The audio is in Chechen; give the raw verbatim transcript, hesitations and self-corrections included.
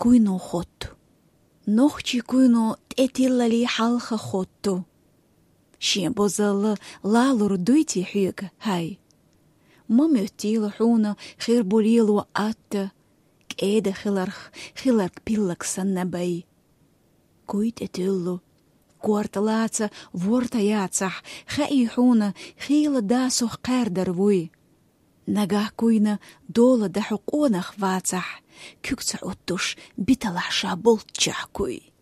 куйно хотту. Нохчий куйно тӀе тиллале хьалха хотту. Шен бозалла лалур дуй те хьоьга, хӀай? Ма моьттийла хьуна хир бу лело атта, кӀеда хиларх, хиларг пиллаг санна бай. Куй тӀе туьллу, корта лаца ворта яцахь, хаий хьуна, хийла дасух кхаьрдар вуй. Нагахь куйна дола дахьу къонах вацахь, куьг ца Ӏуттуш, биталахь ша болччахь куй.